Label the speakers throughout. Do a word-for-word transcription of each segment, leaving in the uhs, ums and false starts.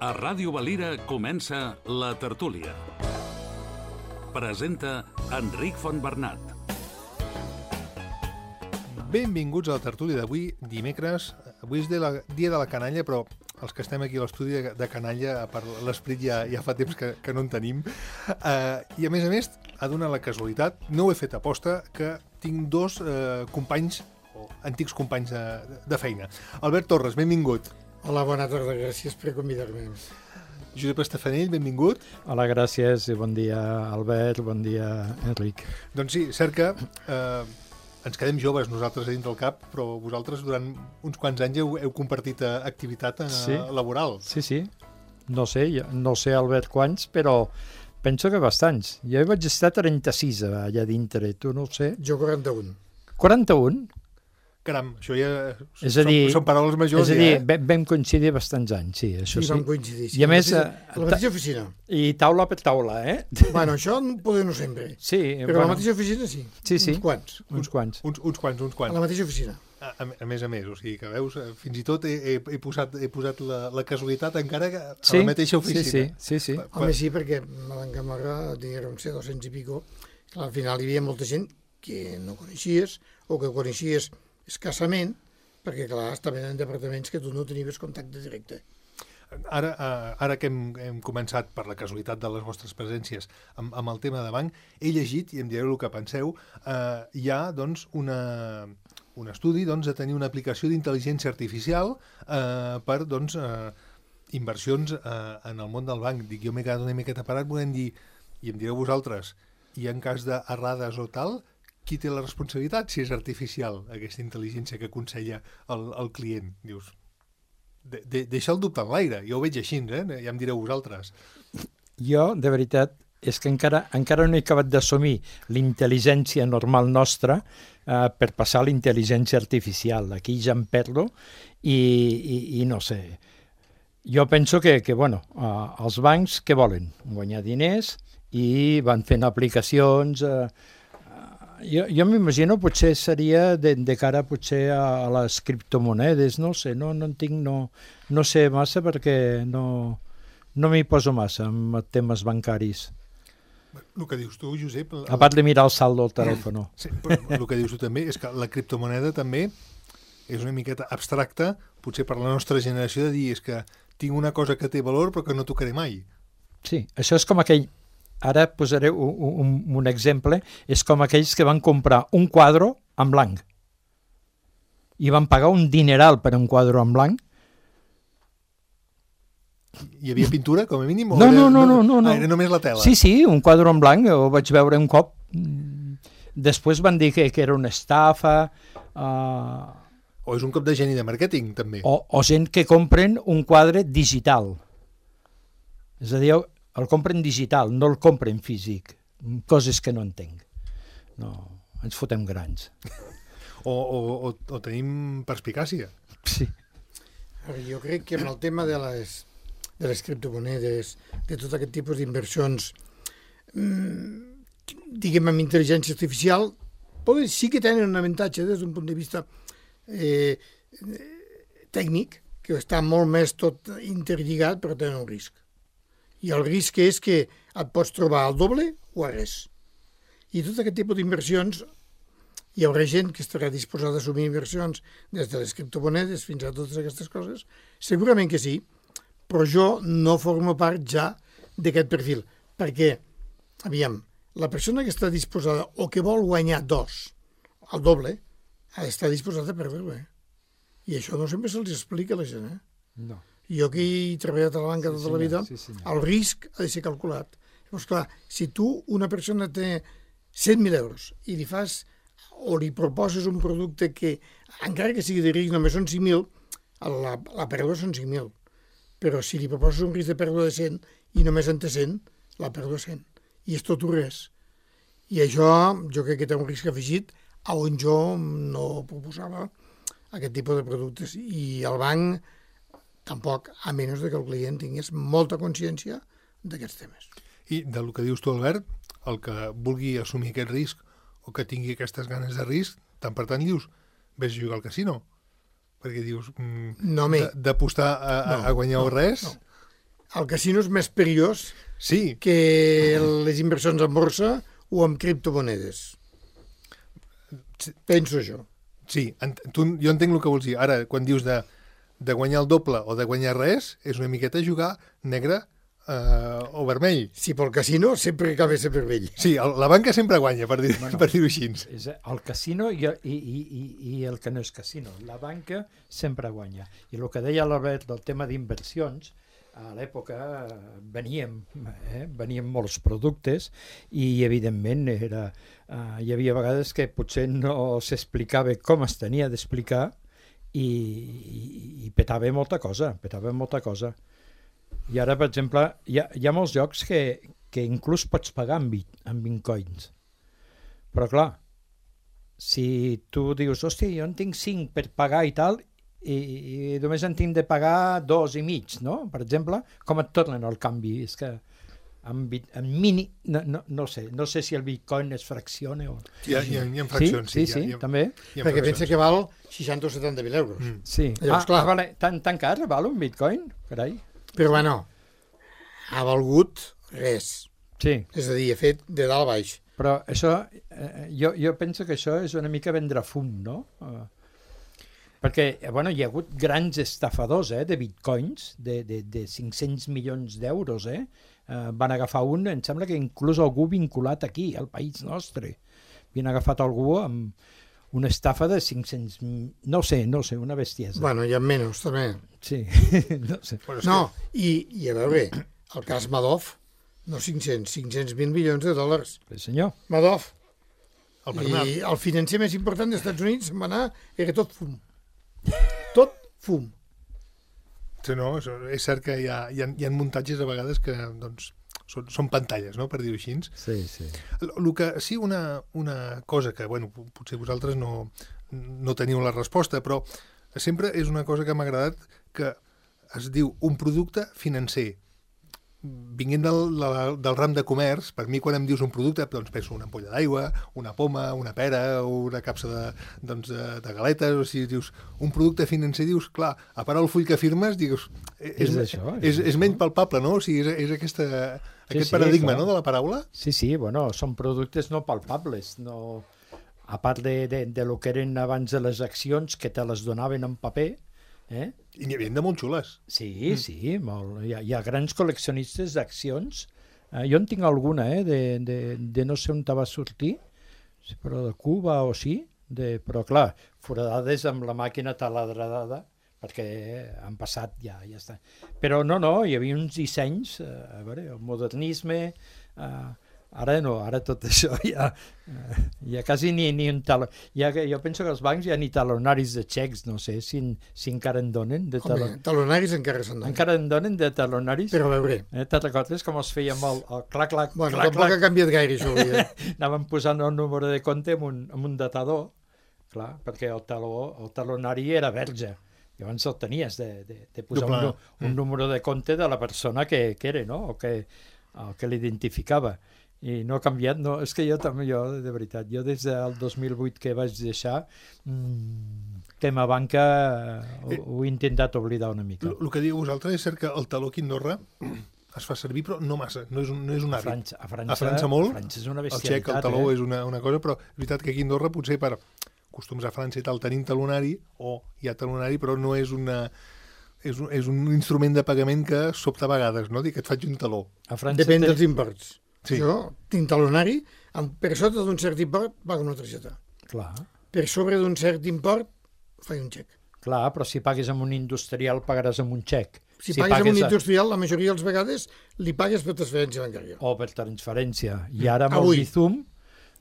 Speaker 1: A Ràdio Valira comença La Tertúlia. Presenta Enric Fontbernat.
Speaker 2: Benvinguts a la tertúlia d'avui, dimecres. Avui és de la, dia de la canalla, però els que estem aquí a l'estudi de, de canalla, per l'esperit ja, ja fa temps que, que no en tenim. Uh, I a més a més, ha donat la casualitat, no ho he fet aposta, que tinc dos uh, companys, o antics companys de, de feina. Albert Torres, benvingut.
Speaker 3: Hola, bona tarda, gràcies per convidar-me.
Speaker 2: Josep Estafanell, benvingut.
Speaker 4: Hola, gràcies i bon dia, Albert, bon dia, Enric.
Speaker 2: Doncs sí, cert que eh, ens quedem joves nosaltres a dins del cap, però vosaltres durant uns quants anys heu, heu compartit eh, activitat eh,
Speaker 4: sí.
Speaker 2: laboral.
Speaker 4: Sí, sí. No sé, no sé, Albert, quants, però penso que bastants. Jo vaig estar trenta-sis allà dintre, tu no ho sé.
Speaker 3: Jo quaranta-un.
Speaker 4: quaranta-un?
Speaker 2: Caram, això ja
Speaker 4: és a dir,
Speaker 2: són, són paraules majors.
Speaker 4: És a dir,
Speaker 2: ja, eh?
Speaker 4: vam coincidir bastants anys, sí, això
Speaker 3: sí.
Speaker 4: Sí,
Speaker 3: vam coincidir. Sí.
Speaker 4: I a més...
Speaker 3: A la mateixa oficina.
Speaker 4: I taula per taula, eh?
Speaker 3: Bueno, això poder no sempre.
Speaker 4: Sí,
Speaker 3: però
Speaker 4: bueno,
Speaker 3: a la mateixa oficina sí.
Speaker 4: Sí, sí.
Speaker 3: Uns quants.
Speaker 4: Uns quants.
Speaker 2: Uns, uns quants, uns quants.
Speaker 3: A la mateixa oficina.
Speaker 2: A, a, a més a més, o sigui que veus, fins i tot he, he, he posat, he posat la, la casualitat encara que a
Speaker 4: sí,
Speaker 2: la mateixa oficina.
Speaker 4: Sí, sí, sí. sí.
Speaker 3: Pa, pa... Home, sí, perquè a l'Encamarga diguem ser dos-cents i pico, que al final hi havia molta gent que no coneixies o que coneixies escassament, perquè, clar, estaven en departaments que tu no tenies contacte directe.
Speaker 2: Ara, ara que hem, hem començat per la casualitat de les vostres presències amb, amb el tema de banc, he llegit, i em direu el que penseu, eh, hi ha doncs, una, un estudi doncs, de tenir una aplicació d'intel·ligència artificial eh, per doncs, eh, inversions eh, en el món del banc. Dic, jo m'he quedat una miqueta parat, volem dir, i em direu vosaltres, i en cas d'errades o tal, qui té la responsabilitat si és artificial, aquesta intel·ligència que aconsella el, el client? Dius, de, de, deixa el dubte en l'aire, jo ho veig així, eh? Ja em direu vosaltres.
Speaker 4: Jo, de veritat, és que encara, encara no he acabat d'assumir l'intel·ligència normal nostra eh, per passar a la intel·ligència artificial. Aquí ja em perdo i, i, i no sé. Jo penso que, que bueno, eh, els bancs què volen? Guanyar diners i van fent aplicacions... Eh, Jo, jo m'imagino potser seria de, de cara potser a, a les criptomonedes, no sé, no, no en tinc, no, no sé massa perquè no, no m'hi poso massa amb temes bancaris.
Speaker 2: El que dius tu, Josep... El...
Speaker 4: A part de mirar el saldo del telèfon.
Speaker 2: Sí, però el que dius tu també és que la criptomoneda també és una miqueta abstracta, potser per la nostra generació, de dir és que tinc una cosa que té valor però que no tocaré mai.
Speaker 4: Sí, això és com aquell... Ara posaré un, un, un exemple, és com aquells que van comprar un quadre en blanc i van pagar un dineral per un quadre en blanc.
Speaker 2: Hi havia pintura, com a mínim? O
Speaker 4: no,
Speaker 2: era,
Speaker 4: no, no, no, no, no.
Speaker 2: Ah, era només la tela?
Speaker 4: Sí, sí, un quadre en blanc, ho vaig veure un cop. Després van dir que, que era una estafa. Uh...
Speaker 2: O és un cop de geni de màrqueting, també.
Speaker 4: O, o gent que compren un quadre digital. És a dir, el compren digital, no el compren físic. Coses que no entenc. No, ens fotem grans.
Speaker 2: O, o, o, o tenim perspicàcia.
Speaker 4: Sí.
Speaker 3: Jo crec que amb el tema de les, de les criptomonedes, de tot aquest tipus d'inversions, diguem amb intel·ligència artificial, poden, sí que tenen un avantatge des d'un punt de vista eh, tècnic, que està molt més tot interlligat, però tenen un risc. I el risc és que et pots trobar al doble o a res. I tot aquest tipus d'inversions, hi haurà gent que estarà disposada a assumir inversions des de les criptomonedes fins a totes aquestes coses? Segurament que sí, però jo no formo part ja d'aquest perfil, perquè, aviam, la persona que està disposada o que vol guanyar dos, el doble, ha d'estar disposada a perdre-ho. Eh? I això no sempre se'ls explica a la gent. Eh?
Speaker 4: No.
Speaker 3: Jo que he treballat a la banca
Speaker 4: sí,
Speaker 3: tota la vida,
Speaker 4: sí,
Speaker 3: el risc ha de ser calculat. Llavors, clar, si tu, una persona té cent mil euros i li fas o li proposes un producte que, encara que sigui de risc, només són cinc mil, la, la pèrdua són cinc mil. Però si li proposes un risc de pèrdua de cent i només en té cent, la pèrdua és cent. I és tot o res. I això jo crec que té un risc afegit a on jo no proposava aquest tipus de productes. I el banc tampoc, a menys que el client tingués molta consciència d'aquests temes.
Speaker 2: I del que dius tu, Albert, el que vulgui assumir aquest risc o que tingui aquestes ganes de risc, tant per tant dius, vés a jugar al casino. Perquè dius, mm,
Speaker 3: no,
Speaker 2: d'apostar a, no, a guanyar
Speaker 3: no,
Speaker 2: res...
Speaker 3: No. el casino és més perillós
Speaker 2: Sí,
Speaker 3: que les inversions en borsa o en criptomonedes. Penso jo.
Speaker 2: sí, ent tu, jo entenc el que vols dir. Ara, quan dius de, de guanyar el doble o de guanyar res, és una miqueta jugar negre eh, o vermell.
Speaker 3: Si pel casino sempre acaba ser vermell.
Speaker 2: Sí, el, la banca sempre guanya, per dir-ho
Speaker 4: Bueno.
Speaker 2: per dir així.
Speaker 4: És el casino i, i, i, i- i el que no és casino. La banca sempre guanya. I el que deia l'Albert del tema d'inversions, a l'època eh, veníem, eh, venien molts productes i evidentment era, eh, hi havia vegades que potser no s'explicava com es tenia d'explicar i, i, i petava molta cosa, petava molta cosa. I ara, per exemple, hi ha, hi ha molts jocs que, que inclús pots pagar amb, bit, amb bitcoins. Però clar, si tu dius, hòstia, jo en tinc cinc per pagar i tal, i, i només en tinc de pagar dos i mig, no? Per exemple, com et tornen el canvi? És que en, bit, en mini, no, no, no sé, no sé si el bitcoin es fracciona o...
Speaker 2: Hi ha, hi ha, hi ha
Speaker 4: Sí,
Speaker 2: fraccions.
Speaker 4: sí, sí,
Speaker 2: hi ha,
Speaker 4: també.
Speaker 2: hi ha
Speaker 3: Perquè pensa
Speaker 2: fraccions.
Speaker 3: que val seixanta o setanta mil euros.
Speaker 2: Mm.
Speaker 4: Sí.
Speaker 3: Llavors,
Speaker 4: ah,
Speaker 3: clar.
Speaker 4: ah, vale. Tan, tan car val un bitcoin? Carai.
Speaker 3: Però bueno, ha valgut res.
Speaker 4: Sí.
Speaker 3: És a dir, ha fet de dalt a baix.
Speaker 4: Però això, eh, jo, jo penso que això és una mica vendre fum, no? Eh, perquè, eh, bueno, hi ha hagut grans estafadors eh, de bitcoins, de, de, de cinc-cents milions d'euros, eh? eh? Van agafar un, em sembla que inclús algú vinculat aquí, al país nostre. Havien agafat algú amb una estafa de cinc-cents... No sé, no sé, una bestiesa.
Speaker 3: Bueno, hi ha menys, també.
Speaker 4: Sí, no sé.
Speaker 2: Bueno, és
Speaker 3: No, i, i a veure, el cas Madoff, no cinc-cents, cinc-cents mil milions de dòlars.
Speaker 4: Sí, senyor.
Speaker 3: Madoff.
Speaker 2: que el Bernat,
Speaker 3: I el financer més important dels Estats Units se'n va anar, era tot fum. Tot fum.
Speaker 2: sí, no, és, és cert que hi ha, hi, ha, hi ha muntatges a vegades que doncs, són, són pantalles, no?, per dir-ho així.
Speaker 4: Sí, sí.
Speaker 2: El, el que, sí, una, una cosa que, bueno, potser vosaltres no, no teniu la resposta, però sempre és una cosa que m'ha agradat, que es diu un producte financer. Vinguent del, del, del ram de comerç, per mi quan em dius un producte, doncs penso una ampolla d'aigua, una poma, una pera, o una capsa de, doncs, de, de galetes, o si dius un producte financer, dius, clar, a part el full que firmes, dius, és,
Speaker 4: És això, és
Speaker 2: és, és
Speaker 4: això.
Speaker 2: menys palpable, no? O sigui, és, és aquesta, aquest
Speaker 4: sí,
Speaker 2: paradigma,
Speaker 4: clar.
Speaker 2: no?, de la paraula.
Speaker 4: Sí, sí, bueno, són productes no palpables, no... a part de, de, de lo que eren abans de les accions, que te les donaven en paper, eh?
Speaker 2: I n'hi havia de molt xules.
Speaker 4: Sí, mm. sí, molt. Hi ha, hi ha grans col·leccionistes d'accions. Eh, jo en tinc alguna, eh, de, de, de no sé on te va sortir, sí, però de Cuba o sí, de, però clar, foradades amb la màquina taladradada, perquè han passat ja, ja està. Però no, no, hi havia uns dissenys, eh, a veure, el modernisme, eh, ara no, ara tot això ja, eh, ja quasi ni, ni un taló. Ja, jo penso que els bancs ja ni talonaris de xecs, no sé si, si encara en donen. De
Speaker 3: Home,
Speaker 4: talon...
Speaker 3: talonaris encara se'n donen.
Speaker 4: Encara en donen de talonaris?
Speaker 3: Però a veure,
Speaker 4: Eh, te'n recordes com es feia amb el, el clac, clac,
Speaker 3: bueno,
Speaker 4: clac,
Speaker 3: tampoc
Speaker 4: clac?
Speaker 3: ha canviat gaire això. Avui, eh?
Speaker 4: Anàvem posant el número de compte amb un, amb un datador, clar, perquè el, taló, el talonari era verge. Llavors el tenies de, de, de posar un,
Speaker 2: Doble.
Speaker 4: nu- un número de compte de la persona que, que era, no?, o que, el que l'identificava. I no ha canviat, no, és que jo també, jo, de veritat, jo des del dos mil vuit que vaig deixar, mmm, tema banca, eh, ho, ho he intentat oblidar una mica.
Speaker 2: El, el que diu vosaltres és cert que el taló aquí a Andorra es fa servir, però no massa, no és un, no és un
Speaker 4: A
Speaker 2: hàbit.
Speaker 4: França, a França,
Speaker 2: A França molt,
Speaker 4: a França és una
Speaker 2: El
Speaker 4: bestialitat.
Speaker 2: xec, el taló
Speaker 4: eh?
Speaker 2: és una, una cosa, però és veritat que aquí a Andorra potser per costums a França i tal tenim talonari, o hi ha talonari, però no és una... És un, és un instrument de pagament que sobta a vegades, no? Dir que et faig un taló.
Speaker 4: A França
Speaker 3: Depèn
Speaker 4: té-
Speaker 3: dels imports.
Speaker 2: Sí.
Speaker 3: Jo tinc talonari, amb, per sota d'un cert import pago una targeta.
Speaker 4: Clar,
Speaker 3: Per sobre d'un cert import faig un xec.
Speaker 4: clar, però si pagues amb un industrial pagaràs amb un xec.
Speaker 3: Si, si pagues amb un industrial, la majoria de les vegades li pagues per transferència bancària.
Speaker 4: O per transferència. I ara amb
Speaker 3: Avui.
Speaker 4: el Bizum,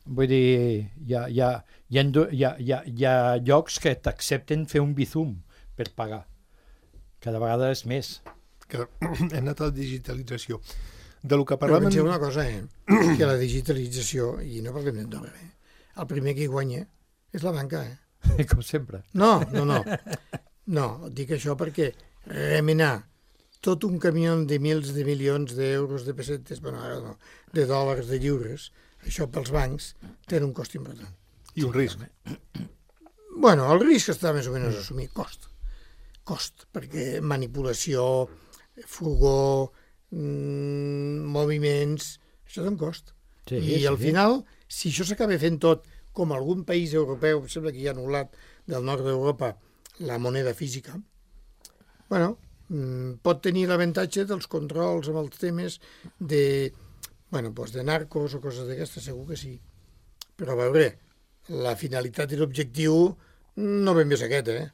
Speaker 4: vull dir, hi ha, hi ha, hi ha, hi ha, hi ha, hi ha llocs que t'accepten fer un Bizum per pagar. Cada vegada és més.
Speaker 2: Que hem anat a la digitalització. De lo que
Speaker 3: Però
Speaker 2: parlàvem...
Speaker 3: penseu una cosa, eh? que la digitalització, i no parlem d'Andorra, eh? el primer que hi guanya és la banca. Eh?
Speaker 4: Com sempre.
Speaker 3: No, no, no. No, dic això perquè remenar tot un camió de mils de milions d'euros, de pessetes, bueno, ara no, de dòlars, de lliures, això pels bancs té un cost important.
Speaker 2: I un risc.
Speaker 3: Bueno, el risc està més o menys assumit, cost. Cost, perquè manipulació, furgó, mm, moviments... Això té un cost.
Speaker 4: Sí,
Speaker 3: I
Speaker 4: sí.
Speaker 3: al final, si això s'acaba fent tot, com algun país europeu, sembla que hi ha anul·lat del nord d'Europa la moneda física, bueno, mm, pot tenir l'avantatge dels controls amb els temes de, bueno, doncs de narcos o coses d'aquestes, segur que sí. Però a veure, la finalitat i l'objectiu no ben bé és aquest, eh?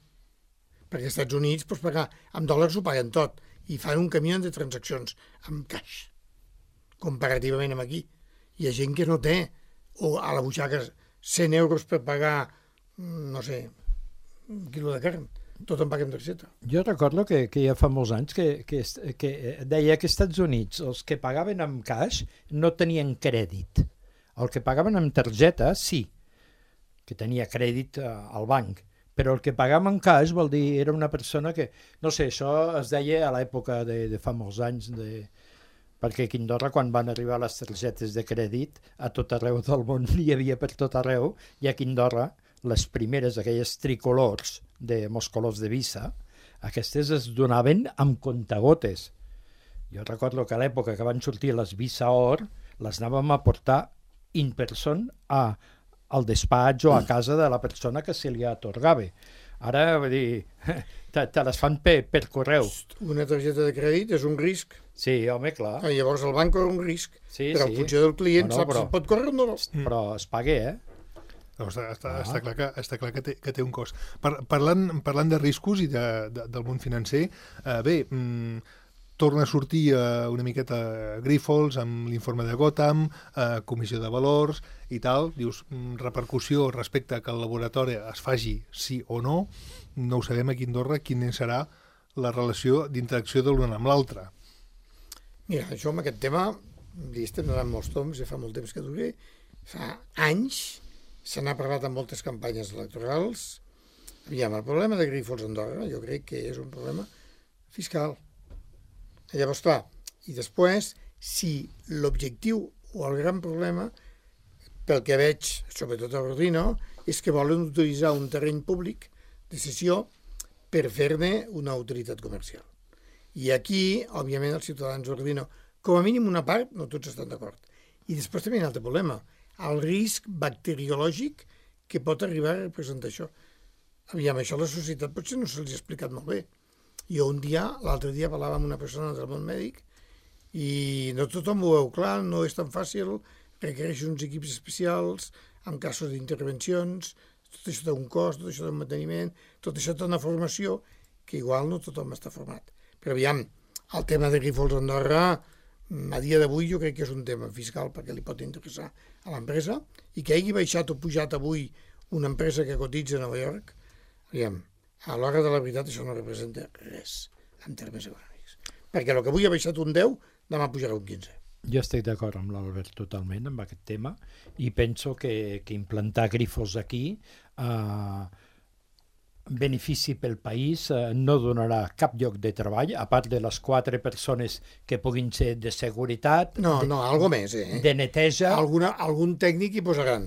Speaker 3: Perquè als Estats Units, doncs, pagar amb dòlars ho paguen tot i fan un camió de transaccions amb caix, comparativament amb aquí. Hi ha gent que no té, o a la butxaca cent euros per pagar, no sé, un quilo de carn. Tot en paguem targeta.
Speaker 4: Jo recordo que, que ja fa molts anys que, que, que deia que als Estats Units els que pagaven amb caix no tenien crèdit. El que pagaven amb targeta, sí, que tenia crèdit al banc, però el que pagava amb caix vol dir era una persona que, no sé, això es deia a l'època de, de fa molts anys, de, perquè aquí a Andorra, quan van arribar les targetes de crèdit, a tot arreu del món hi havia per tot arreu, i aquí a Andorra les primeres, aquelles tricolors de molts colors de Visa, aquestes es donaven amb contagotes. Jo recordo que a l'època que van sortir les Visa Or, les anàvem a portar in person a, al despatx o a casa de la persona que se li atorgava. Ara, vull dir, te, te les fan per, per correu.
Speaker 3: Una targeta de crèdit és un risc.
Speaker 4: Sí, home, clar.
Speaker 3: Ah, llavors el banc corre un risc,
Speaker 4: Sí,
Speaker 3: però
Speaker 4: sí.
Speaker 3: en funció del client
Speaker 4: No, no,
Speaker 3: saps
Speaker 4: però-
Speaker 3: si pot córrer o no.
Speaker 4: Però es paga, eh?
Speaker 2: No, està, està,
Speaker 4: Ah.
Speaker 2: està clar, que, està clar que, té, que té un cost. Par, parlant, parlant de riscos i de, de, del món financer, eh, bé, mm, torna a sortir eh, una miqueta Grifols amb l'informe de Gotham, eh, comissió de valors i tal, dius, mm, repercussió respecte a que el laboratori es faci sí o no, no ho sabem aquí a Andorra quina serà la relació d'interacció de l'un amb l'altre.
Speaker 3: Mira, això amb aquest tema, li estem donant molts toms, ja fa molt temps que dura, fa anys, se n'ha parlat en moltes campanyes electorals. Aviam, el problema de Grifols a Andorra jo crec que és un problema fiscal. I llavors, clar, i després, si l'objectiu o el gran problema, pel que veig, sobretot a Ordino, és que volen utilitzar un terreny públic de cessió per fer-ne una autoritat comercial. I aquí, òbviament, els ciutadans d'Ordino, com a mínim una part, no tots estan d'acord. I després també hi ha un altre problema, el risc bacteriològic que pot arribar a representar això. Aviam, això a la societat potser no se'ls ha explicat molt bé. Jo un dia, l'altre dia, parlava amb una persona del món mèdic i no tothom ho veu clar, no és tan fàcil, requereix uns equips especials, en casos d'intervencions, tot això té un cost, tot això té un manteniment, tot això té una formació que igual no tothom està format. Però aviam, el tema de Grifols a Andorra, a dia d'avui jo crec que és un tema fiscal perquè li pot interessar a l'empresa i que hagi baixat o pujat avui una empresa que cotitza a Nova York, aviam, a l'hora de la veritat això no representa res en termes econòmics. Perquè el que avui ha baixat un deu, demà pujarà un quinze.
Speaker 4: Jo estic d'acord amb l'Albert totalment amb aquest tema i penso que, que implantar Grifols aquí eh, benefici pel país, eh, no donarà cap lloc de treball, a part de les quatre persones que puguin ser de seguretat,
Speaker 3: No,
Speaker 4: de,
Speaker 3: no, algo més, eh?
Speaker 4: de neteja.
Speaker 3: Alguna, algun tècnic hi posaran.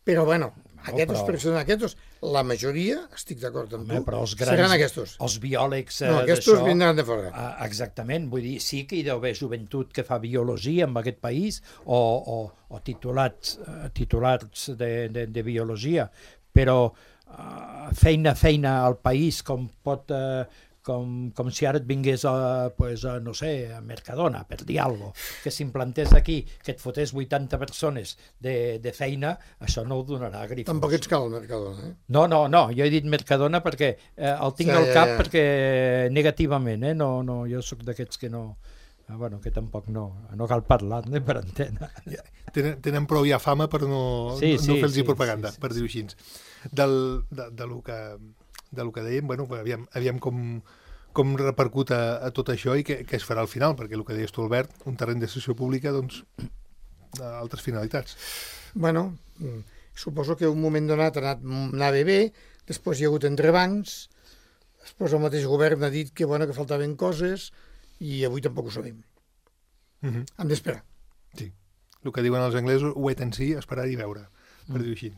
Speaker 3: Però, bueno, aquestes
Speaker 4: però-
Speaker 3: persones, aquests, la majoria, estic d'acord amb
Speaker 4: Home,
Speaker 3: tu,
Speaker 4: però els grans,
Speaker 3: seran aquests.
Speaker 4: els biòlegs eh,
Speaker 3: No, aquests
Speaker 4: d'això,
Speaker 3: vindran de fora.
Speaker 4: ah, exactament, vull dir, sí que hi deu haver joventut que fa biologia en aquest país o, o, o titulats, eh, titulats de, de, de biologia, però eh, feina, feina al país com pot... Eh, com, com si ara et vingués a, pues, a, no sé, a Mercadona, per dir alguna cosa, que s'implantés aquí, que et fotés vuitanta persones de, de feina, això no ho donarà a Grifols.
Speaker 3: Tampoc ets cal al Mercadona, eh?
Speaker 4: No, no, no, jo he dit Mercadona perquè eh, el tinc
Speaker 3: Ja,
Speaker 4: al
Speaker 3: ja,
Speaker 4: cap
Speaker 3: ja.
Speaker 4: perquè negativament, eh? No, no, jo sóc d'aquests que no... Ah, bueno, que tampoc no, no cal parlar-ne per antena.
Speaker 2: Ja, tenen, tenen prou ja fama per no,
Speaker 4: Sí,
Speaker 2: no,
Speaker 4: sí,
Speaker 2: no fer-los
Speaker 4: sí,
Speaker 2: propaganda,
Speaker 4: sí, sí,
Speaker 2: per dir-ho així. Del, de, de, lo que, de lo que dèiem, bueno, aviam, aviam com, com repercut a, a tot això i què, què es farà al final, perquè el que deies tu, Albert, un terreny de sessió pública, doncs, a altres finalitats.
Speaker 3: Bueno, mm, suposo que un moment donat ha anat, anava bé, després hi ha hagut entrebancs, després el mateix govern ha dit que, bueno, que faltaven coses i avui tampoc ho sabem.
Speaker 2: Uh -huh.
Speaker 3: Hem d'esperar.
Speaker 2: Sí, el que diuen els anglesos, wait and see, esperar i veure, per
Speaker 3: Mm.
Speaker 2: dir-ho així.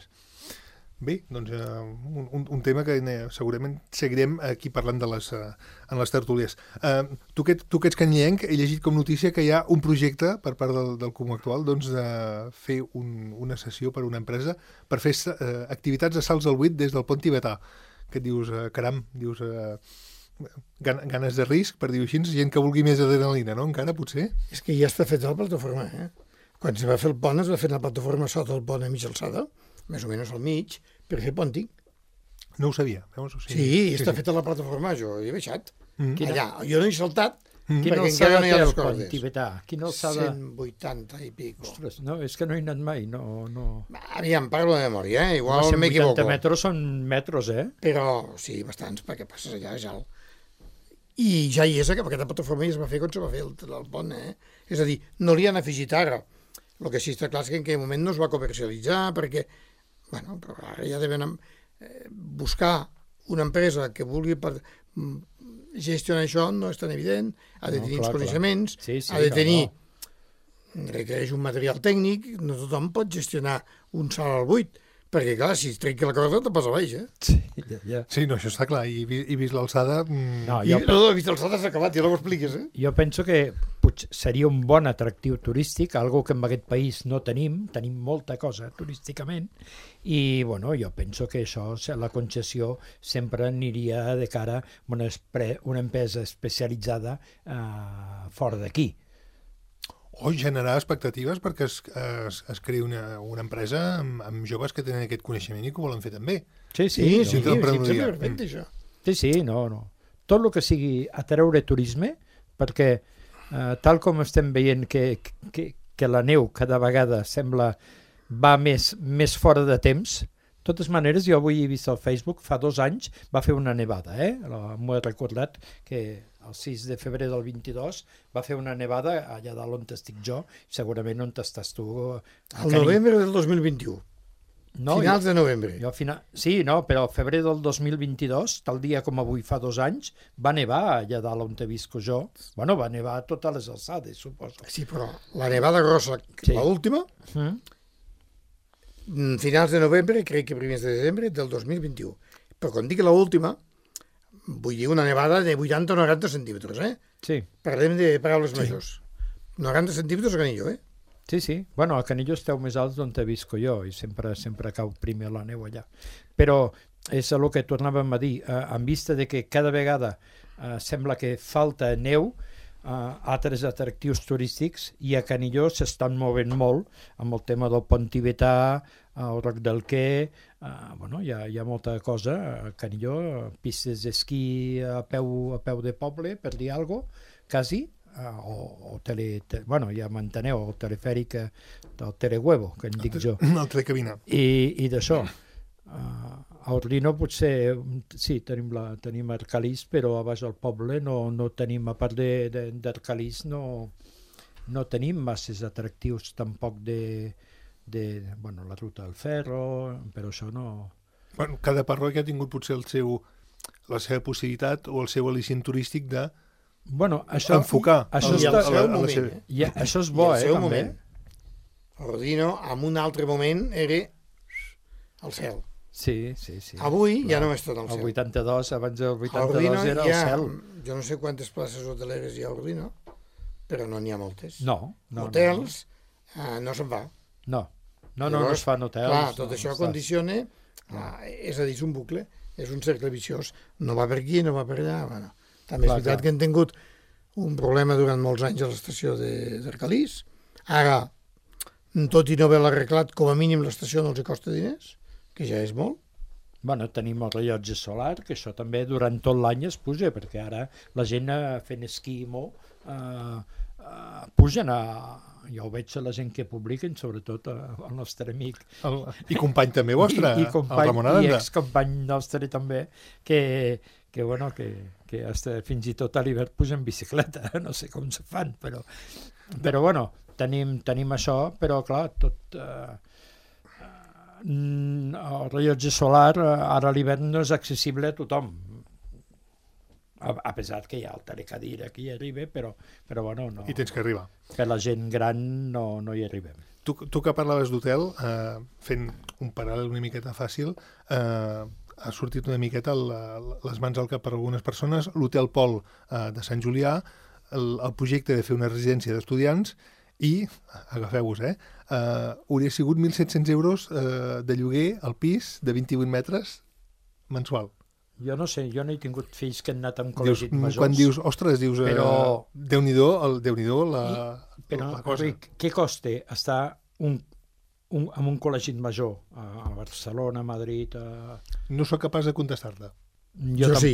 Speaker 2: Bé, doncs uh, un, un, un tema que uh, segurament seguirem aquí parlant de les, uh, en les tertúlies. Uh, tu, que, tu que ets canyenc, he llegit com notícia que hi ha un projecte per part del, del Comú Actual doncs, de fer un, una sessió per a una empresa per fer uh, activitats de salts al buit des del pont tibetà. Que et dius, uh, caram, dius... Uh, ganes de risc, per dir-ho així, gent que vulgui més adrenalina, no? Encara, potser?
Speaker 3: És que ja està fet la plataforma, eh? Quan es va fer el pont, es va fer la plataforma sota el pont a mitja alçada, més o menys al mig, per fer pònting.
Speaker 2: No ho sabia. Veus?
Speaker 3: Sí, sí, sí, està sí. feta la plataforma, jo hi he baixat. Mm. Allà, jo no he saltat, mm. perquè encara no hi ha les cordes.
Speaker 4: Tibetà? Quina alçada?
Speaker 3: cent vuitanta i pico.
Speaker 4: Ostres, no, és que no he anat mai, no... no...
Speaker 3: Aviam, parlo de memòria, eh? Igual
Speaker 4: no,
Speaker 3: m'equivoco.
Speaker 4: cent vuitanta metres són metros, eh?
Speaker 3: Però, sí, bastants, perquè passes allà, és alt. I ja hi és, aquesta plataforma ja es va fer quan se va fer el, el pont, eh? És a dir, no li han afegit ara. El que sí està clar és que en aquell moment no es va comercialitzar, perquè, bueno, però ara ja deven eh, buscar una empresa que vulgui per, gestionar això, no és tan evident, ha de tenir no, clar, uns coneixements, sí, sí, ha de tenir, no. requereix un material tècnic, no tothom pot gestionar un salt al buit, perquè, clar, si es trenca la corda, te passa baix, eh?
Speaker 4: Sí, ja, ja.
Speaker 2: Sí, no, això està clar. I, i vist l'alçada... Mm...
Speaker 4: No,
Speaker 3: jo... I, no, no, vist l'alçada s'ha acabat, ja no ho expliques, eh?
Speaker 4: Jo penso que potser seria un bon atractiu turístic, algo que en aquest país no tenim, tenim molta cosa turísticament, i, bueno, jo penso que això, la concessió sempre aniria de cara a una, una empresa especialitzada eh, fora d'aquí.
Speaker 2: O generar expectatives perquè es, es, es creï una, una empresa amb, amb joves que tenen aquest coneixement i que ho volen fer també.
Speaker 4: Sí, sí.
Speaker 3: Sí, sí, sí, sí, perfecte, això.
Speaker 4: Sí, sí, no, no. Tot el que sigui atreure turisme, perquè eh, tal com estem veient que, que, que la neu cada vegada sembla va més, més fora de temps, de totes maneres, jo avui he vist al Facebook, fa dos anys va fer una nevada, eh? M'ho he recordat que el sis de febrer del vint-i-dos va fer una nevada allà dalt on estic jo, segurament on estàs tu.
Speaker 3: Al novembre del dos mil vint-i-u. No, finals jo, de novembre.
Speaker 4: Jo final, sí, no, però al febrer del dos mil vint-i-dos, tal dia com avui fa dos anys, va nevar allà dalt on te visco jo. Bueno, va nevar a totes les alçades, suposo.
Speaker 3: Sí, però la nevada grossa, sí. L'última, mm. finals de novembre, crec que primers de desembre del dos mil vint-i-u. Però quan dic l'última, vull dir una nevada de vuitanta o noranta centímetres, eh?
Speaker 4: Sí.
Speaker 3: Parlem de paraules sí. majors. noranta centímetres a Canillo, eh?
Speaker 4: Sí, sí. Bueno, a Canillo esteu més alts d'on te visco jo i sempre sempre cau primer la neu allà. Però és el que tornàvem a dir, eh, en vista de que cada vegada eh, sembla que falta neu, eh, altres atractius turístics, i a Canillo s'estan movent molt amb el tema del pont tibetà, el Roc del Quer, uh, bueno, hi ha, hi ha molta cosa a Canillo, pistes d'esquí a peu, a peu de poble, per dir alguna cosa, quasi, uh, o, o tele, te, bueno, ja m'enteneu, el telefèric del Telehuevo, que en dic jo.
Speaker 2: El telecabina.
Speaker 4: I, i d'això. Uh, a Ordino potser, sí, tenim, la, tenim Arcalís, però a baix del poble no, no tenim, a part d'Arcalís, no, no tenim masses atractius tampoc de... de, bueno, la ruta del ferro, però això no...
Speaker 2: Bueno, cada parròquia ha tingut potser el seu, la seva possibilitat o el seu al·licient turístic de
Speaker 4: bueno, això,
Speaker 2: enfocar
Speaker 3: això
Speaker 2: el,
Speaker 3: està,
Speaker 2: a la, a la, a la seva...
Speaker 4: Eh? Ja, això és bo, eh, també.
Speaker 3: Moment, Rodino, en un altre moment, era al cel.
Speaker 4: Sí, sí, sí.
Speaker 3: Avui clar. Ja no és tot al cel.
Speaker 4: El vuitanta-dos, abans del vuitanta-dos era
Speaker 3: al
Speaker 4: cel.
Speaker 3: Jo no sé quantes places hoteleres hi ha a Ordino, però no n'hi ha moltes.
Speaker 4: No. no
Speaker 3: Hotels,
Speaker 4: no, no.
Speaker 3: Uh, no se'n va.
Speaker 4: No. No, no, Llavors, no es fan hotels.
Speaker 3: Clar, tot
Speaker 4: no,
Speaker 3: això
Speaker 4: no
Speaker 3: condiciona, no. uh, és a dir, és un bucle, és un cercle viciós. No va per aquí, no va per allà. Bueno, també clar, és veritat clar. Que han tingut un problema durant molts anys a l'estació d'Arcalís. Ara, tot i no haver-la arreglat, com a mínim l'estació no els costa diners, que ja és molt.
Speaker 4: Bueno, tenim el rellotge solar, que això també durant tot l'any es puja, perquè ara la gent fent esquí molt eh, eh, pugen a... Jo ho veig a la gent que publiquen, sobretot el nostre amic.
Speaker 2: El, I company també vostre,
Speaker 4: I, i company,
Speaker 2: el Ramon Aranda.
Speaker 4: I excompany nostre també, que, que, bueno, que, que hasta, fins i tot a l'hivern pugen bicicleta, no sé com se fan, però, però bueno, tenim, tenim això, però clar, tot... Eh, el rellotge solar ara a l'hivern no és accessible a tothom, a, a pesar que hi ha el telecadira que hi arriba, però, però bueno, no,
Speaker 2: i tens que arribar.
Speaker 4: Per la gent gran no, no hi arribem.
Speaker 2: tu, tu que parlaves d'hotel, eh, fent un paral·lel una miqueta fàcil, eh, ha sortit una miqueta el, les mans al cap per algunes persones, l'Hotel Pol eh, de Sant Julià, el, el projecte de fer una residència d'estudiants i, agafeu-vos, eh, eh, hauria sigut mil set-cents euros eh, de lloguer al pis de vint-i-vuit metres mensual.
Speaker 4: Jo no sé, jo no he tingut fills que han anat amb
Speaker 2: Dius,
Speaker 4: col·legis majors.
Speaker 2: quan dius, ostres, dius,
Speaker 4: Però...
Speaker 2: eh, Déu-n'hi-do, el, Déu-n'hi-do la,
Speaker 4: Però,
Speaker 2: la cosa.
Speaker 4: Ric, què costa estar un, un, en un col·legi major a, a Barcelona, a Madrid... A...
Speaker 2: No sóc capaç de contestar-te.
Speaker 3: Jo, jo sí.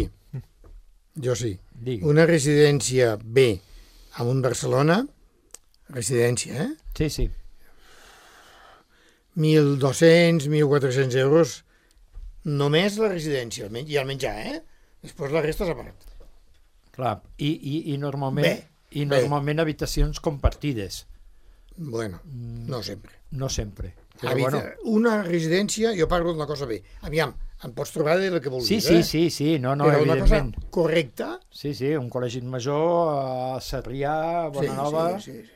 Speaker 3: Jo sí.
Speaker 4: Digui.
Speaker 3: Una residència B a un Barcelona, residència, eh?
Speaker 4: Sí, sí.
Speaker 3: mil dos-cents, mil quatre-cents euros només la residència i el menjar, eh? Després la resta és a part.
Speaker 4: Clar, i, i, i normalment,
Speaker 3: Bé,
Speaker 4: i normalment bé. Habitacions compartides.
Speaker 3: Bueno, no sempre.
Speaker 4: No sempre. Però,
Speaker 3: Habita...
Speaker 4: bueno.
Speaker 3: Una residència, jo parlo d'una cosa bé. Aviam, em pots trobar de la que vulguis,
Speaker 4: Sí, sí,
Speaker 3: eh?
Speaker 4: sí, sí, no, no,
Speaker 3: Però una
Speaker 4: evidentment.
Speaker 3: cosa correcta...
Speaker 4: Sí, sí, un col·legi major a Sarrià, Bonanova...
Speaker 3: Sí, sí, sí.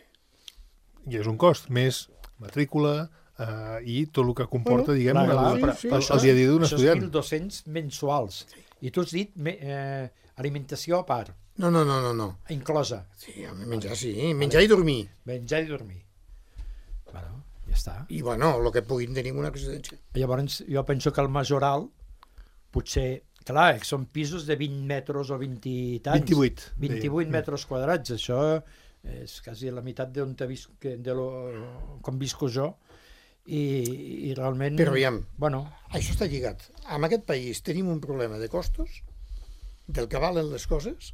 Speaker 2: I és un cost, més matrícula eh, i tot el que comporta,
Speaker 3: Bueno,
Speaker 2: diguem,
Speaker 4: clar,
Speaker 2: el,
Speaker 4: clar,
Speaker 2: el,
Speaker 3: però-
Speaker 2: el,
Speaker 3: sí,
Speaker 2: el,
Speaker 3: això-
Speaker 2: el dia a dia d'un
Speaker 4: Això és
Speaker 2: estudiant.
Speaker 4: mil dos-cents mensuals. I tu has dit me, eh, alimentació a part,
Speaker 3: No, no, no, no, no.
Speaker 4: inclosa.
Speaker 3: Sí, home, menjar sí, menjar i dormir.
Speaker 4: Menjar i dormir. Bueno, ja està.
Speaker 3: I, bueno, el que puguin tenir en una residència.
Speaker 4: Llavors, jo penso que el majoral, potser, clar, que són pisos de vint metres o vint i tants.
Speaker 2: vint-i-vuit.
Speaker 4: vint-i-vuit metres quadrats, això és quasi la meitat d'on te visc, de lo, com visco jo, i, i realment...
Speaker 3: Però aviam,
Speaker 4: Bueno,
Speaker 3: això està lligat. En aquest país tenim un problema de costos, del que valen les coses,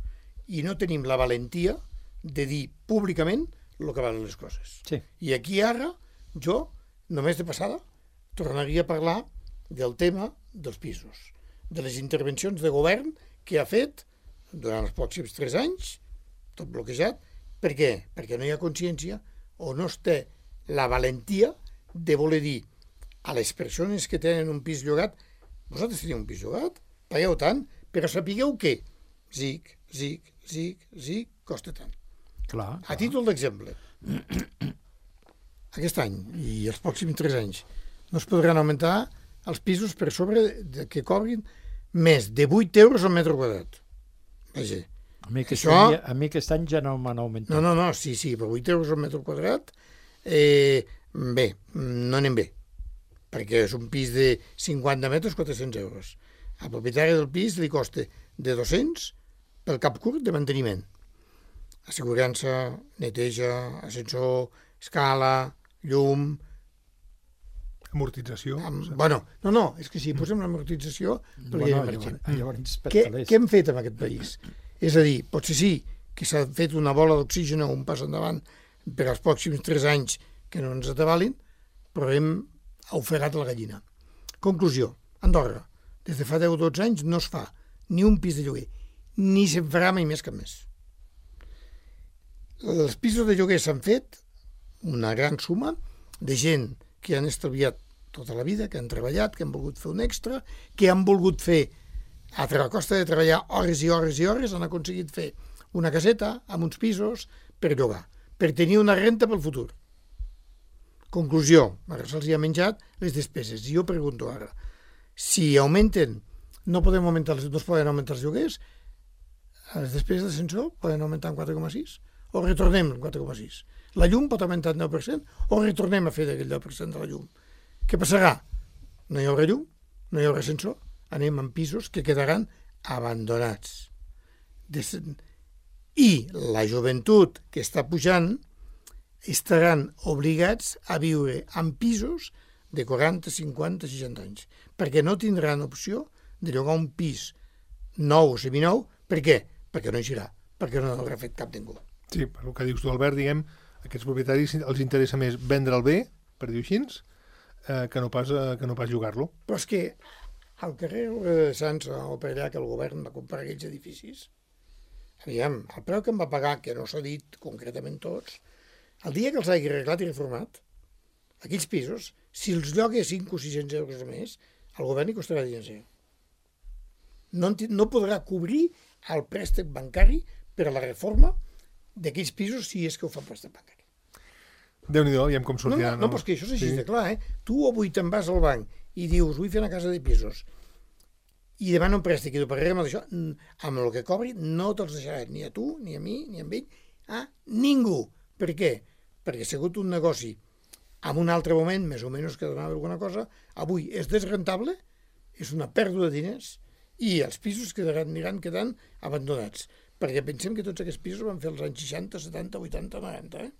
Speaker 3: i no tenim la valentia de dir públicament el que valen les coses.
Speaker 4: sí.
Speaker 3: I aquí ara, jo, només de passada, tornaria a parlar del tema dels pisos, de les intervencions de govern que ha fet durant els pròxims tres anys, tot bloquejat. Per què? Perquè no hi ha consciència o no es té la valentia de voler dir a les persones que tenen un pis llogat, vosaltres teniu un pis llogat, pagueu tant, però sapigueu que zic, zic, zic, zic, costa tant.
Speaker 4: Clar,
Speaker 3: A títol d'exemple, aquest any i els pròxims tres anys no es podran augmentar els pisos per sobre de que cobrin més de vuit euros al metre quadrat. Vaja,
Speaker 4: a mi, aquest
Speaker 3: això-
Speaker 4: any, a mi aquest any ja no m'han augmentat.
Speaker 3: no, no, no, sí, sí, per vuit euros al metre quadrat, eh, bé, no anem bé, perquè és un pis de cinquanta metres, quatre-cents euros. Al propietari del pis li costa de dos-cents pel cap curt de manteniment. Assegurança, neteja, ascensor, escala, llum...
Speaker 2: Amortització.
Speaker 3: Amb... Bueno, no, no, és que si posem l'amortització...
Speaker 4: Bueno,
Speaker 3: Bueno,
Speaker 4: llavors, llavors per
Speaker 3: què,
Speaker 4: calés.
Speaker 3: què hem fet en aquest país? És a dir, potser sí que s'ha fet una bola d'oxigen o un pas endavant per als pròxims tres anys que no ens atabalin, però hem ofegat la gallina. Conclusió, Andorra, des de fa deu o dotze anys no es fa ni un pis de lloguer, ni se'n farà mai més cap més. Els pisos de lloguer s'han fet una gran suma de gent que han estalviat tota la vida, que han treballat, que han volgut fer un extra, que han volgut fer, a costa de treballar hores i hores i hores, han aconseguit fer una caseta amb uns pisos per llogar, per tenir una renta pel futur. Conclusió, ara se'ls ha menjat les despeses. I jo pregunto ara, si augmenten, no podem augmentar, no es poden augmentar els lloguers, les despeses d'ascensor poden augmentar en quatre coma sis o retornem en quatre coma sis. La llum pot augmentar en deu per cent o retornem a fer d'aquell deu per cent de la llum. Què passarà? No hi haurà llum, no hi haurà ascensor, anem en pisos que quedaran abandonats. Des... I la joventut que està pujant estaran obligats a viure en pisos de quaranta, cinquanta, seixanta anys, perquè no tindran opció de llogar un pis nou o seminou. Per què? Perquè no hi serà, perquè no l'haurà fet cap ningú.
Speaker 2: Sí, per el que dius tu, Albert, diguem, aquests propietaris els interessa més vendre el bé, per dir-ho així, eh, que no pas, eh, que no pas llogar-lo.
Speaker 3: Però és que al carrer de Sants o per allà que el govern va comprar aquells edificis, aviam, el preu que em va pagar, que no s'ha dit concretament tots, el dia que els hagi arreglat i reformat, aquells pisos, si els lloga cinc o sis-cents euros a més, al govern hi costarà diners. No, no podrà cobrir el préstec bancari per a la reforma d'aquells pisos si és que ho fa préstec bancari.
Speaker 2: Déu-n'hi-do, veiem com
Speaker 3: No,
Speaker 2: sortirà.
Speaker 3: no, no, però és que això és així de clar, eh? Tu avui te'n vas al banc i dius, vull fer una casa de pisos, i demana un préstec i tu pagarem això, amb el que cobri no te'ls deixaran ni a tu, ni a mi, ni a ell, a ningú. Per què? Perquè ha sigut un negoci en un altre moment, més o menys que donava alguna cosa, avui és desrentable, és una pèrdua de diners, i els pisos quedaran, aniran quedant abandonats. Perquè pensem que tots aquests pisos van fer els anys seixanta, setanta, vuitanta, noranta, eh?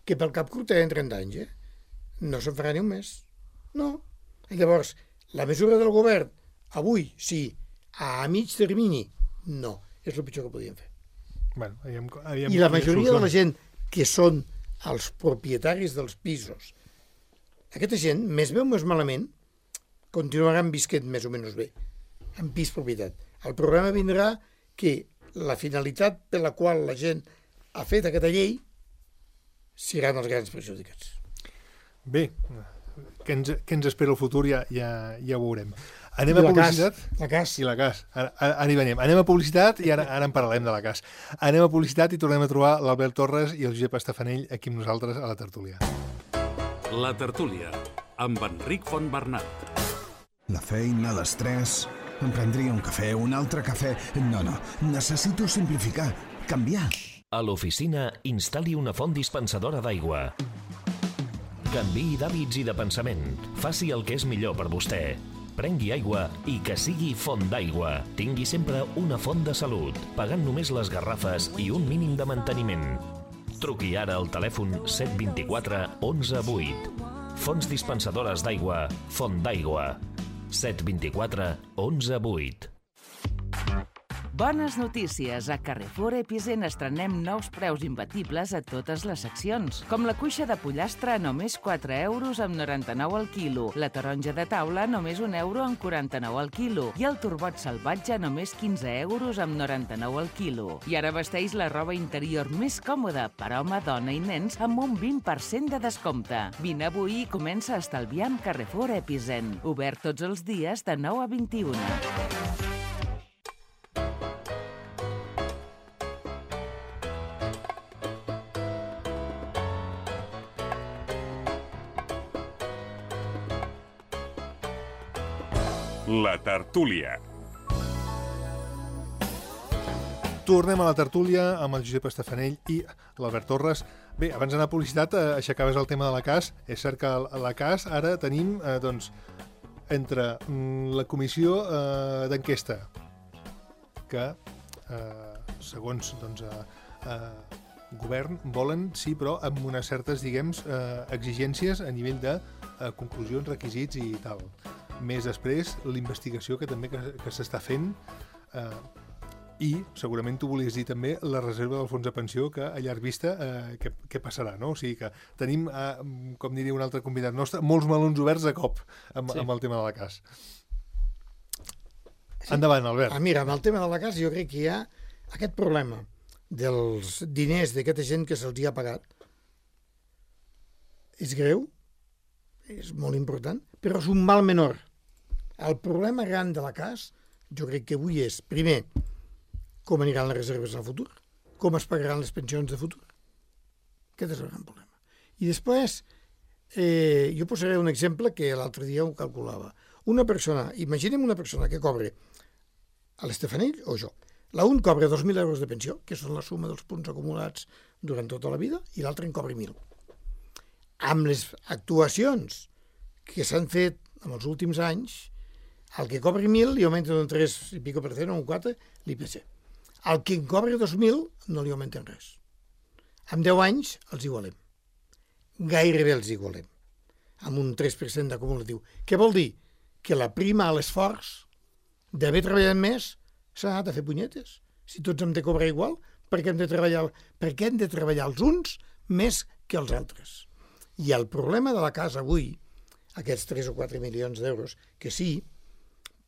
Speaker 3: Que pel cap curt tenen trenta anys, eh? No se'n farà ni un mes. No. I llavors, la mesura del govern, avui, sí, a mig termini, no. És el pitjor que podíem fer.
Speaker 2: Bueno, aviam, aviam
Speaker 3: I la majoria de la gent que són els propietaris dels pisos, aquesta gent, més bé o més malament, continuaran visquent més o menys bé, en pis propietat. El problema vindrà que la finalitat per la qual la gent ha fet aquesta llei seran els grans perjudicats.
Speaker 2: Bé, què ens, què ens espera el futur ja, ja, ja ho veurem. Anem
Speaker 3: I
Speaker 2: a
Speaker 3: la
Speaker 2: publicitat.
Speaker 3: cas, la cas.
Speaker 2: I la cas. Ara, ara, ara hi venim. Anem a publicitat i ara, ara en parlarem de la cas. Anem a publicitat i tornem a trobar l'Albert Torres i el Josep Estafanell aquí amb nosaltres a la tertúlia.
Speaker 1: La tertúlia, amb Enric Fontbernat.
Speaker 5: La feina, l'estrès... Em prendria un cafè, un altre cafè... No, no, necessito simplificar, canviar.
Speaker 6: A l'oficina, instal·li una font dispensadora d'aigua. Canviï d'hàbits i de pensament. Faci el que és millor per vostè. Prengui aigua i que sigui font d'aigua. Tingui sempre una font de salut, pagant només les garrafes i un mínim de manteniment. Truqui ara al telèfon set dos quatre onze vuit. Fonts dispensadores d'aigua, Font d'Aigua. set dos quatre onze vuit.
Speaker 7: Bones notícies! A Carrefour Epicent estrenem nous preus imbatibles a totes les seccions, com la cuixa de pollastre a només quatre euros amb noranta-nou al quilo, la taronja de taula a només un euro amb quaranta-nou al quilo i el turbot salvatge a només quinze euros amb noranta-nou al quilo. I ara vesteix la roba interior més còmoda per home, dona i nens amb un vint per cent de descompte. Vine avui i comença a estalviar amb Carrefour Epicent. Obert tots els dies de nou a vint-i-una.
Speaker 8: La tertúlia.
Speaker 2: Tornem a la tertúlia amb el Josep Estafanell i l'Albert Torres. Bé, abans d'anar a publicitat, eh, aixecaves el tema de la C A S. És cert que a la C A S ara tenim, eh, doncs, entre mm, la comissió eh, d'enquesta, que, eh, segons, doncs, eh, eh, govern, volen, sí, però amb unes certes, diguem, eh, exigències a nivell de eh, conclusions, requisits i tal. Més després, l'investigació que també que, que s'està fent eh, i segurament tu volies dir també la reserva del fons de pensió que a llarg vista eh, què, què passarà, no? O sigui que tenim, eh, com diria un altre convidat nostre, molts melons oberts a cop amb, sí. amb el tema de la C A S. Sí. Endavant, Albert.
Speaker 3: Ah, mira, amb el tema de la C A S jo crec que hi ha aquest problema dels diners d'aquesta gent que se'ls ha pagat. És greu, és molt important, però és un mal menor. El problema gran de la C A S, jo crec que avui és, primer, com aniran les reserves al futur, com es pagaran les pensions de futur. Aquest és el gran problema. I després, eh, jo posaré un exemple que l'altre dia ho calculava. Una persona, imaginem una persona que cobre a l'Estafanell o jo. La un cobra dos mil euros de pensió, que són la suma dels punts acumulats durant tota la vida, i l'altre en cobra mil. Amb les actuacions que s'han fet en els últims anys, el que cobri mil li augmenten un tres i pico per cent o un quatre l'I P C. El que en cobri dos mil no li augmenten res. En deu anys els igualem. Gairebé els igualem. Amb un tres per cent d'acumulatiu. Què vol dir? Que la prima a l'esforç d'haver treballat més s'ha anat a fer punyetes. Si tots hem de cobrar igual, per què hem de treballar, per què hem de treballar els uns més que els altres? I el problema de la casa avui, aquests tres o quatre milions d'euros, que sí,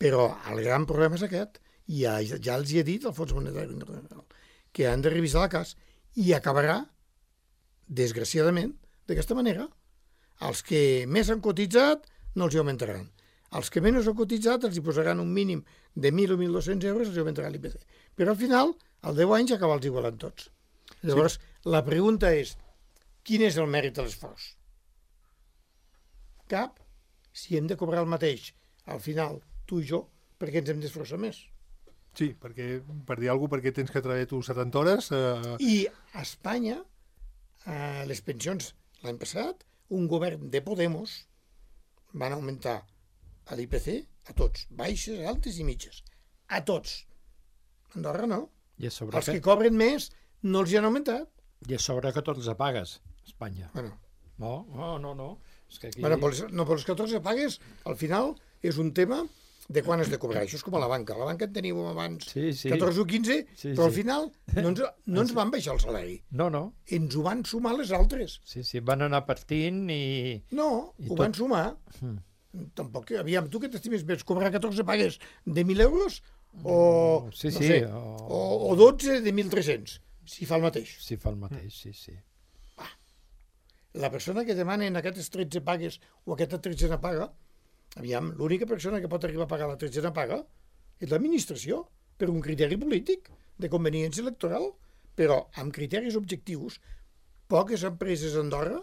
Speaker 3: però el gran problema és aquest, i ja, ja els hi he dit al Fons Monetari Internacional, que han de revisar la C A S i acabarà, desgraciadament, d'aquesta manera. Els que més han cotitzat no els hi augmentaran. Els que menys han cotitzat els hi posaran un mínim de mil o mil dos-cents euros, els hi augmentarà l'I P C. Però al final, al deu anys, acaba els igualant tots. Llavors, sí. La pregunta és, Quin és el mèrit de l'esforç? Cap. Si hem de cobrar el mateix, al final, tu i jo, per què ens hem d'esforçar més?
Speaker 2: Sí, perquè, per dir alguna cosa, perquè tens que treballar tu setanta hores... Eh...
Speaker 3: I a Espanya, eh, les pensions l'any passat, un govern de Podemos van augmentar a l'I P C a tots, baixes, altes i mitges. A tots. Andorra no.
Speaker 4: I a sobre
Speaker 3: Els
Speaker 4: que,
Speaker 3: que cobren més no els hi han augmentat.
Speaker 4: i a sobre catorze pagues, Espanya.
Speaker 3: Bueno,
Speaker 4: No, no, no, no. És que aquí...
Speaker 3: bueno per, les, no, per els catorze pagues, al final, és un tema de quan has de cobrar. Això és com a la banca. A la banca en teníem abans
Speaker 4: Sí, sí.
Speaker 3: catorze o quinze,
Speaker 4: Sí,
Speaker 3: però al
Speaker 4: sí.
Speaker 3: final no ens, no ens van baixar el salari.
Speaker 4: No, no.
Speaker 3: Ens ho van sumar les altres.
Speaker 4: Sí, sí, van anar partint i...
Speaker 3: No,
Speaker 4: I
Speaker 3: ho
Speaker 4: tot.
Speaker 3: van sumar.
Speaker 4: Mm.
Speaker 3: Tampoc, aviam, tu què t'estimes més? Cobrar catorze pagues de mil euros o,
Speaker 4: Sí,
Speaker 3: no
Speaker 4: sí,
Speaker 3: sé,
Speaker 4: o-
Speaker 3: o... o dotze de mil tres-cents, si fa el mateix.
Speaker 4: Sí, fa el mateix, sí, sí.
Speaker 3: La persona que demana en aquestes tretze pagues o aquesta tretzena paga, aviam, l'única persona que pot arribar a pagar la tretzena paga és l'administració, per un criteri polític de conveniència electoral, però amb criteris objectius, poques empreses a Andorra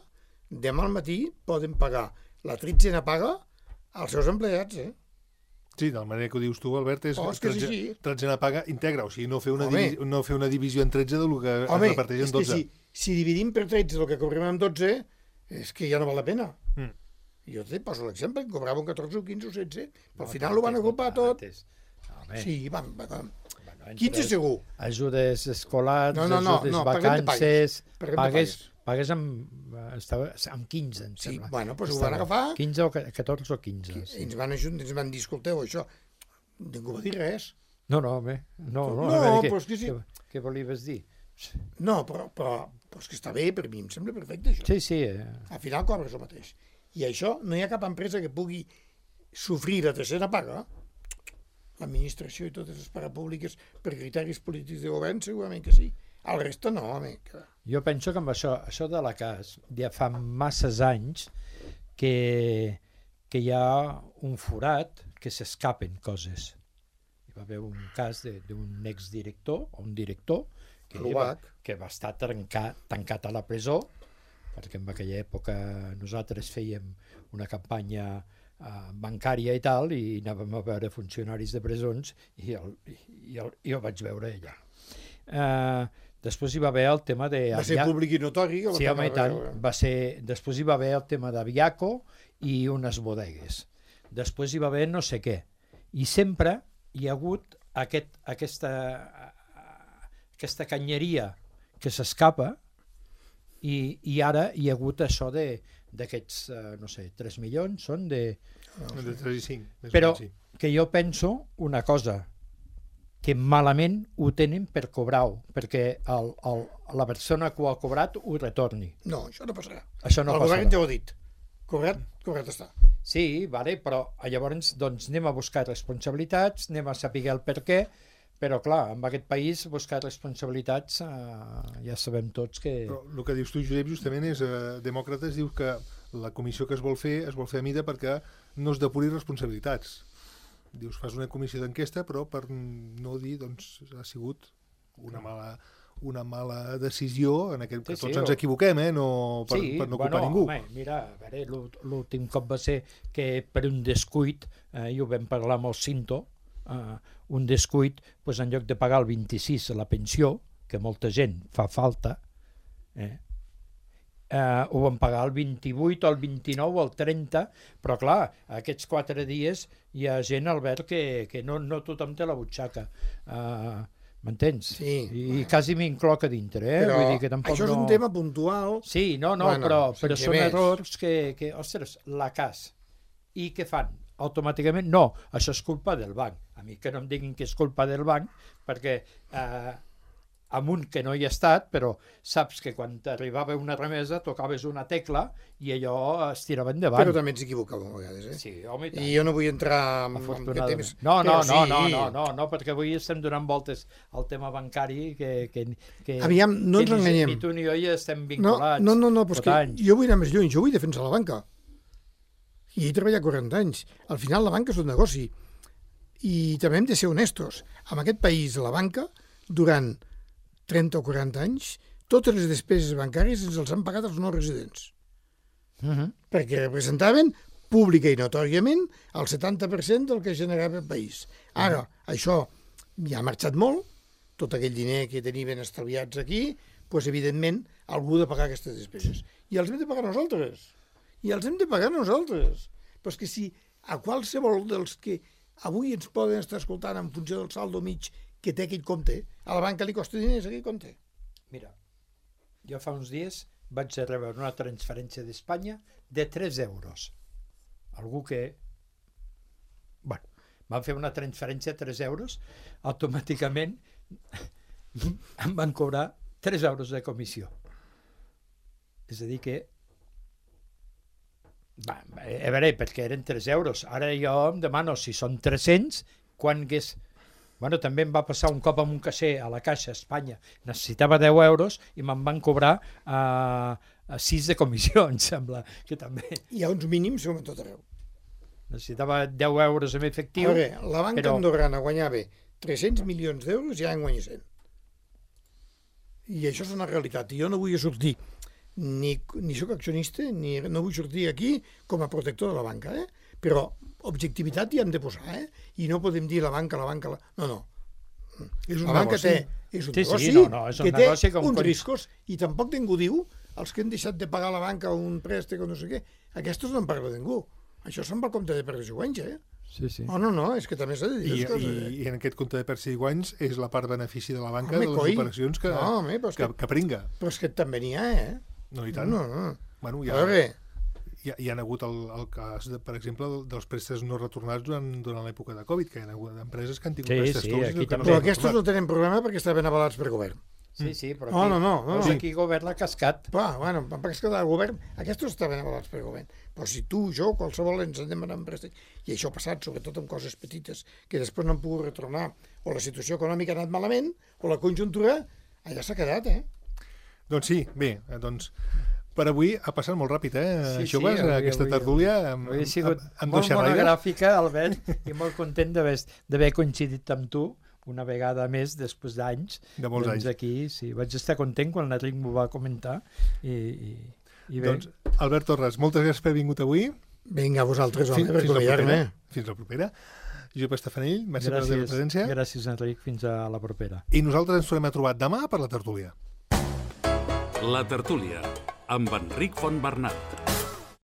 Speaker 3: demà al matí poden pagar la tretzena paga als seus empleats, eh?
Speaker 2: Sí, de la manera que ho dius tu, Albert, és
Speaker 3: Oh, és que és
Speaker 2: tretze-
Speaker 3: així.
Speaker 2: tretzena paga íntegra, o sigui, no fer una,
Speaker 3: Home.
Speaker 2: divi no fer una divisió en tretze del que
Speaker 3: Home,
Speaker 2: es reparteix
Speaker 3: és
Speaker 2: en
Speaker 3: que
Speaker 2: dotze.
Speaker 3: si, si dividim per tretze el que cobrem amb dotze, és que ja no val la pena.
Speaker 2: Mm.
Speaker 3: Jo te poso l'exemple, que cobrava un catorze o quinze o setze, però al final ho van agrupar tot.
Speaker 4: Home,
Speaker 3: Sí, van, van.
Speaker 4: bueno,
Speaker 3: quinze
Speaker 4: entre
Speaker 3: segur.
Speaker 4: Ajudes escolars,
Speaker 3: No, no, no,
Speaker 4: ajudes
Speaker 3: no, paguem de
Speaker 4: vacances...
Speaker 3: pagues. Paguem de
Speaker 4: Pagues,
Speaker 3: pagues.
Speaker 4: pagues amb, eh, estava, amb quinze, em
Speaker 3: Sí,
Speaker 4: sembla.
Speaker 3: bueno, doncs ho
Speaker 4: Estava.
Speaker 3: van agafar.
Speaker 4: quinze o ca- catorze o quinze. Sí.
Speaker 3: Ens van ajudar, ens van dir, escolteu, això, ningú va dir res.
Speaker 4: No, no, home, no, no,
Speaker 3: No,
Speaker 4: a veure,
Speaker 3: però
Speaker 4: què,
Speaker 3: és que sí.
Speaker 4: què, què volies dir?
Speaker 3: No, però, però, però és que està bé, per mi em sembla perfecte, això.
Speaker 4: Sí, sí, eh,
Speaker 3: Al final cobres el mateix. I això, no hi ha cap empresa que pugui sofrir la tercera paga. L'administració i totes les parapúbliques per criteris polítics de govern segurament que sí. El resta no, home. Que...
Speaker 4: jo penso que amb això, això de la cas, ja fa masses anys que, que hi ha un forat que s'escapen coses. Hi va haver un cas de- d'un exdirector, o un director, que va,
Speaker 3: Robat.
Speaker 4: que va estar tancat, tancat a la presó, perquè en aquella època nosaltres fèiem una campanya eh, bancària i tal, i anàvem a veure funcionaris de presons, i, el, i, el, i el vaig veure allà. Eh, després hi va haver el tema de...
Speaker 3: Va ser públic i notori. Que
Speaker 4: Sí,
Speaker 3: va
Speaker 4: home, i
Speaker 3: pagar
Speaker 4: tant.
Speaker 3: la-
Speaker 4: Va ser... Després hi va haver el tema d'Aviaco i unes bodegues. Després hi va haver no sé què. I sempre hi ha hagut aquest, aquesta, aquesta canyeria que s'escapa i, i ara hi ha hagut això de d'aquests, eh, no sé, tres milions són de...
Speaker 2: De tres i cinc. més o
Speaker 4: Però
Speaker 2: menys, sí.
Speaker 4: que jo penso una cosa, que malament ho tenen per cobrar-ho, perquè el, el, la persona que ho ha cobrat ho retorni.
Speaker 3: No, això no passarà.
Speaker 4: Això no
Speaker 3: el
Speaker 4: passarà.
Speaker 3: govern ja ho ha dit. Cobrat, cobrat està.
Speaker 4: Sí, vale, però llavors doncs, anem a buscar responsabilitats, anem a saber el per què, però clar, en aquest país buscar responsabilitats eh, ja sabem tots que...
Speaker 2: Però el que dius tu, Josep, justament és eh, Demòcrates diu que la comissió que es vol fer es vol fer a mida perquè no es depuri responsabilitats. Dius, fas una comissió d'enquesta, però per no dir, doncs, ha sigut una mala, una mala decisió, en aquest,
Speaker 4: Sí,
Speaker 2: que
Speaker 4: sí,
Speaker 2: tots ens
Speaker 4: o-
Speaker 2: equivoquem, eh? No, per,
Speaker 4: sí,
Speaker 2: per no
Speaker 4: bueno,
Speaker 2: culpar ningú.
Speaker 4: Home, mira, a veure, l'ú- l'últim cop va ser que per un descuit, eh, i ho vam parlar amb el Cinto, eh, un descuit, doncs en lloc de pagar el vint-i-sis a la pensió, que molta gent fa falta, eh, eh, ho van pagar el vint-i-vuit o el vint-i-nou o el trenta, però clar, aquests quatre dies hi ha gent, Albert, que, que no, no tothom té la butxaca. Uh, M'entens?
Speaker 3: Sí.
Speaker 4: I, I quasi m'incloc a dintre, eh?
Speaker 3: Però
Speaker 4: Vull dir que tampoc
Speaker 3: això és
Speaker 4: no...
Speaker 3: un tema puntual.
Speaker 4: Sí, no, no,
Speaker 3: Bueno,
Speaker 4: però, però
Speaker 3: sense
Speaker 4: són
Speaker 3: més.
Speaker 4: errors que, que, ostres, la cas. I què fan? Automàticament, no, això és culpa del banc. A mi que no em diguin que és culpa del banc, perquè eh, amunt que no hi ha estat, però saps que quan t'arribava una remesa tocaves una tecla i allò es tirava endavant.
Speaker 3: Però també ens equivocàvem a vegades, eh?
Speaker 4: Sí, home, i tant.
Speaker 3: I jo no vull entrar en, en aquest
Speaker 4: Afortunadament.
Speaker 3: temps.
Speaker 4: No, no,
Speaker 3: però
Speaker 4: no,
Speaker 3: sí.
Speaker 4: no, no, no, no, perquè avui estem donant voltes al tema bancari que, que, que,
Speaker 3: Aviam, no
Speaker 4: que
Speaker 3: ens
Speaker 4: ni-
Speaker 3: enganyem.
Speaker 4: Ni tu ni jo ja estem
Speaker 3: No,
Speaker 4: vinculats.
Speaker 3: no, no, no, però és
Speaker 4: tot
Speaker 3: que
Speaker 4: anys.
Speaker 3: jo vull anar més lluny, jo vull defensar la banca. I he treballat quaranta anys. Al final la banca és un negoci. I també hem de ser honestos. En aquest país la banca, durant trenta o quaranta anys, totes les despeses bancàries ens els han pagat els no residents.
Speaker 4: Uh -huh.
Speaker 3: Perquè representaven pública i notòriament el setanta per cent del que generava el país. Ara, això ja ha marxat molt, tot aquell diner que tenien estalviats aquí, doncs, evidentment, algú ha de pagar aquestes despeses. I els hem de pagar nosaltres. I els hem de pagar nosaltres. Però és que si a qualsevol dels que avui ens poden estar escoltant en funció del saldo mig que té aquell compte, a la banca li costa diners aquell compte.
Speaker 4: Mira, jo fa uns dies vaig rebre una transferència d'Espanya de tres euros. Algú que... Bueno, van fer una transferència de tres euros, automàticament em van cobrar tres euros de comissió. És a dir que... Va, a veure, perquè eren tres euros. Ara jo em demano si són tres-cents, quan hagués... Bueno, també em va passar un cop amb un caixer a la Caixa Espanya. Necessitava deu euros i me'n van cobrar a uh, sis de comissió, em sembla, que també...
Speaker 3: Hi ha uns mínims com a tot arreu.
Speaker 4: Necessitava deu euros en efectiu.
Speaker 3: A veure, la banca però... andorrana guanyava tres-cents milions d'euros i ja en guanya cent. I això és una realitat. I jo no vull sortir, ni, ni soc accionista, ni no vull sortir aquí com a protector de la banca, eh? Però objectivitat hi hem de posar, eh? I no podem dir la banca, la banca... La... No, no. És la banca té, és un
Speaker 4: sí,
Speaker 3: negoci
Speaker 4: sí, no, no, és un
Speaker 3: que
Speaker 4: negoci
Speaker 3: té
Speaker 4: com
Speaker 3: uns
Speaker 4: con...
Speaker 3: riscos i tampoc ningú diu els que han deixat de pagar a la banca un préstec o no sé què. Aquests no en parla ningú. Això se'n va al compte de perds i guanys, eh?
Speaker 4: Sí, sí.
Speaker 3: Oh, no, no, és que també s'ha de dir
Speaker 2: I,
Speaker 3: coses,
Speaker 2: i,
Speaker 3: eh?
Speaker 2: I en aquest compte de perds i guanys és la part benefici de la banca
Speaker 3: Home,
Speaker 2: de les
Speaker 3: coi.
Speaker 2: operacions que,
Speaker 3: No, home, però és
Speaker 2: que,
Speaker 3: que-
Speaker 2: que pringa.
Speaker 3: Però és que també n'hi ha, eh?
Speaker 2: No, i tant.
Speaker 3: No, no.
Speaker 2: Bueno,
Speaker 3: Ja.
Speaker 2: ja,
Speaker 3: A veure,
Speaker 2: hi, ha, hi ha hagut el, el cas, de, per exemple, dels préstecs no retornats durant, durant l'època de Covid, que hi ha hagut empreses que han tingut
Speaker 4: Sí,
Speaker 2: préstecs
Speaker 4: sí,
Speaker 2: tous
Speaker 4: aquí
Speaker 2: que
Speaker 4: també.
Speaker 2: no
Speaker 3: però
Speaker 2: s'han
Speaker 3: aquests no
Speaker 2: retornat.
Speaker 3: tenen problema perquè estaven avalats per govern.
Speaker 4: Sí, sí, però
Speaker 3: No,
Speaker 4: aquí,
Speaker 3: no, no, no,
Speaker 4: veus
Speaker 3: no.
Speaker 4: aquí govern l'ha cascat.
Speaker 3: Clar, bueno, perquè el govern, aquests estaven avalats per govern. Però si tu, jo, qualsevol ens anem anant préstec, i això ha passat sobretot amb coses petites que després no han pogut retornar, o la situació econòmica ha anat malament, o la conjuntura, allà s'ha quedat, eh?
Speaker 2: Doncs sí, bé, eh, doncs per avui ha passat molt ràpid, eh,
Speaker 4: Sí, sí,
Speaker 2: joves,
Speaker 4: avui-
Speaker 2: aquesta
Speaker 4: avui-
Speaker 2: tertúlia amb,
Speaker 4: Avui ha sigut
Speaker 2: amb, amb
Speaker 4: molt
Speaker 2: dos xerraires.
Speaker 4: monogràfica, Albert, i molt content d'haver d'haver coincidit amb tu una vegada més després d'anys.
Speaker 2: De molts
Speaker 4: doncs
Speaker 2: anys.
Speaker 4: aquí, sí, vaig estar content quan l'Enric m'ho va comentar i, i, i bé.
Speaker 2: Doncs, Albert Torres, moltes gràcies per haver vingut avui.
Speaker 3: Vinga, vosaltres, home,
Speaker 2: Fins,
Speaker 3: per
Speaker 2: fins, la
Speaker 3: convidar-me.
Speaker 2: propera. fins la propera. Josep Estafanell, merci per la teva presència.
Speaker 4: gràcies, Enric. Fins a la propera.
Speaker 2: I nosaltres ens tornem a trobar demà per la tertúlia.
Speaker 1: La tertúlia, amb Enric Fontbernat.